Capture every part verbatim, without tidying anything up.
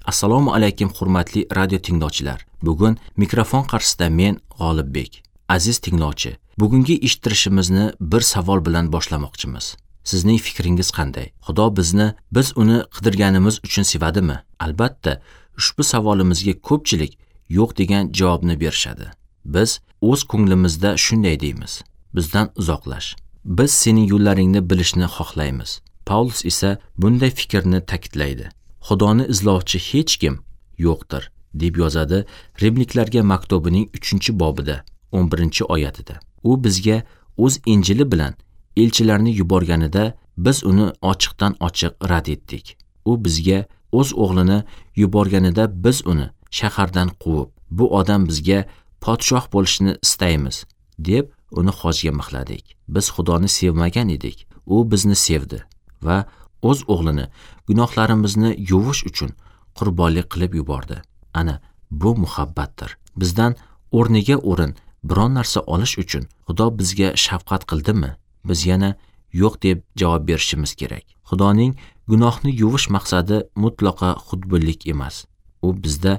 Assalomu alaykum hurmatli radio tinglovchilar. Bugun mikrofon qarshisida men G'olibbek. Aziz tinglovchi, bugungi eshittirishimizni bir savol bilan boshlamoqchimiz. Sizning fikringiz qanday? Xudo bizni biz uni qidirganimiz uchun sevadimi? Albatta, ushbu savolimizga ko'pchilik yo'q degan javobni berishadi. Biz o'z ko'nglimizda shunday deymiz: bizdan uzoqlash. Biz sening yo'llaringni bilishni xohlaymiz. Paulus esa bunday fikrni ta'kidlaydi. Xudoni izlovchi hech kim yo'qdir, deb yozadi Rimliklarga maktubining uchinchi bobida, o'n birinchi oyatida. U bizga o'z Injili bilan elchilarni yuborganida biz uni ochiqdan ochiq rad etdik. U bizga o'z o'g'lini yuborganida biz uni shahardan quvib, bu odam bizga podshoh bo'lishini istaymiz, deb uni xojga mixladik. Biz Xudoni sevmagan edik. U bizni sevdi va o'z o'g'lini gunohlarimizni yuvish uchun qurbonlik qilib yubordi. Ana bu muhabbatdir. Bizdan o'rniga o'rin biron narsa olish uchun Xudo bizga shafqat qildimi? Biz yana yo'q deb javob berishimiz kerak. Xudoning gunohni yuvish maqsadi mutlaqo xudbinlik emas. U bizda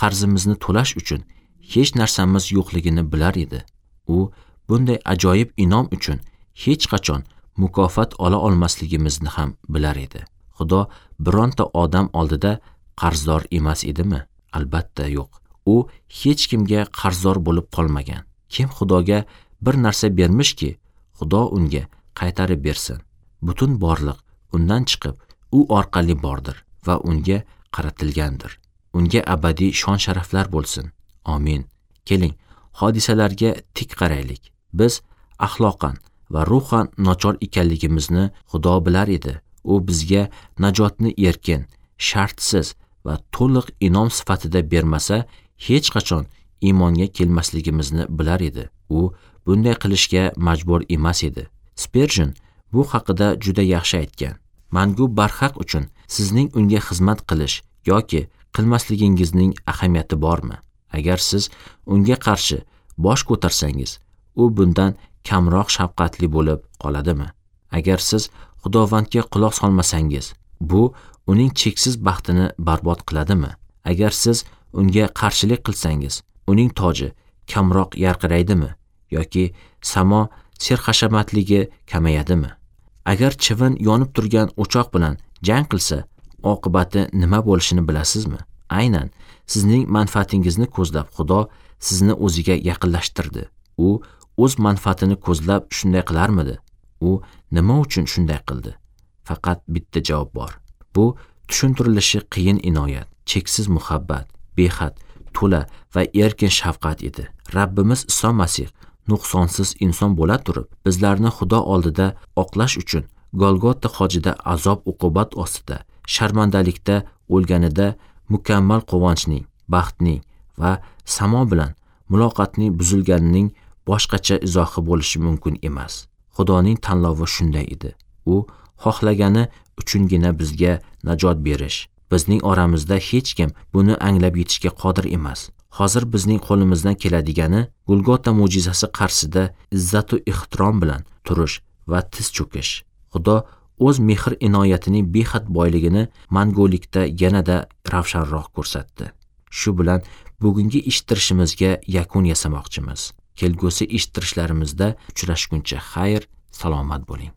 qarzimizni to'lash uchun hech narsamiz yo'qligini bilar edi. U bunday ajoyib inom uchun hech qachon mukofot ola olmasligimizni ham bilar edi. Xudo bironta odam oldida qarzdor emas edimi? Albatta yo'q. U hech kimga qarzdor bo'lib qolmagan. Kim Xudoga bir narsa bermishki, Xudo unga qaytarib bersin. Butun borliq undan chiqib, u orqali bordir va unga qaratilgandir. Unga abadiy shon-sharaflar bo'lsin. Amin. Keling, hodisalarga tik qaraylik. Biz axloqan va ruhan nochor ekanligimizni Xudo bilar edi. U bizga najotni erkin, shartsiz va to'liq inom sifatida bermasa, hech qachon iymonga kelmasligimizni bilar edi. U bunday qilishga majbur emas edi. Spurgeon bu haqida juda yaxshi aytgan. Mangu barhaq uchun sizning unga xizmat qilish yoki qilmasligingizning ahamiyati bormi? Agar siz unga qarshi bosh ko'tarsangiz, u bundan kamroq shafqatli bo'lib qoladimi? Agar siz Xudovandga quloq solmasangiz, bu uning cheksiz baxtini barbod qiladimi? Agar siz unga qarshilik qilsangiz, uning toji kamroq yarqiraydimi yoki samo serhashamatligi kamayadimi? Agar chivin yonib turgan o'choq bilan jang qilsa, oqibati nima bo'lishini bilasizmi? Aynan sizning manfaatingizni ko'zlab Xudo sizni o'ziga yaqinlashtirdi. U o'z manfaatini ko'zlab shunday qilarmidi? U nima uchun shunday qildi? Faqat bitta javob bor. Bu tushuntirilishi qiyin inoyat, cheksiz muhabbat, behad, to'la va erkin shafqat edi. Rabbimiz Iso Masih nuqsonsiz inson bo'la turib, bizlarni Xudo oldida oqlash uchun Golgota xojida azob uqubat ostida, sharmandalikda o'lganida mukammal quvonchning, baxtning va samo bilan muloqotning buzilganining boshqacha izohi bo'lishi mumkin emas. Xudoning tanlovi shunday edi. U xohlagani uchungina bizga najot berish. Bizning oramizda hech kim buni anglab yetishga qodir emas. Hozir bizning qo'limizdan keladigani Golgota mo'jizasi qarshisida izzat va ehtirom bilan turish va tiz cho'kish. Xudo o'z mehr inoyatining behad boyligini mangulikda yanada ravshanroq ko'rsatdi. Shu bilan bugungi eshittirishimizga yakun yasamoqchimiz. Kelgusi eshittirishlarimizda uchrashguncha xayr, salomat bo'ling.